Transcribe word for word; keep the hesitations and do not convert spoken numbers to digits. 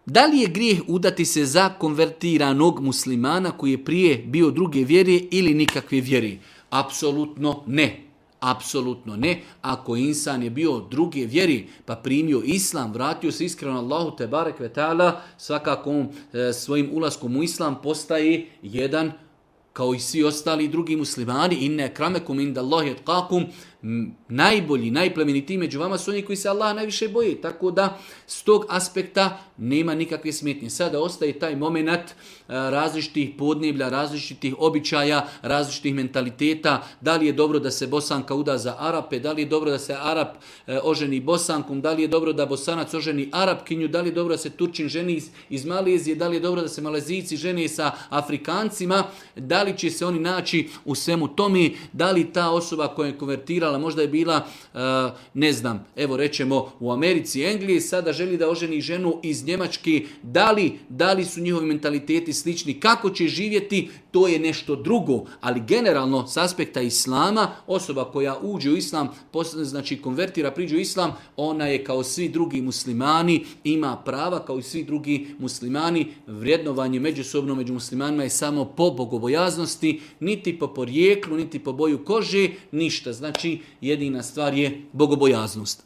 Da li je grijeh udati se za konvertiranog muslimana koji je prije bio druge vjere ili nikakve vjere? Apsolutno ne. Apsolutno ne. Ako insan je bio druge vjeri pa primio islam, vratio se iskreno Allahu te barek ve taala, svakako on e, svojim ulaskom u islam postaje jedan kao i svi ostali drugi muslimani. Inne akramekum indallahi atqakum, najbolji, najplemenitiji među vama su oni koji se Allaha najviše boje. Tako da s tog aspekta nema nikakve smetnje. Sada ostaje taj moment različitih podneblja, različitih običaja, različitih mentaliteta. Da li je dobro da se Bosanka uda za Arape, da li je dobro da se Arap oženi Bosankom, da li je dobro da Bosanac oženi Arapkinju, da li je dobro da se Turčin ženi iz, iz Malezije, da li je dobro da se Malezijci žene sa Afrikancima, da li će se oni naći u svemu tome, da li ta osoba koja je konvertirala možda je bila, ne znam, evo rećemo u Americi, Engliji, sada želi da oženi ženu iz Njemačke, da li, da li su njihovi mentaliteti slični, kako će živjeti, to je nešto drugo. Ali generalno, s aspekta islama, osoba koja uđe u islam, znači konvertira, priđe u islam, ona je kao svi drugi muslimani, ima prava kao i svi drugi muslimani. Vrijednovanje međusobno među muslimanima je samo po bogobojaznosti, niti po porijeklu, niti po boju kože, ništa. Znači, jedina stvar je bogobojaznost.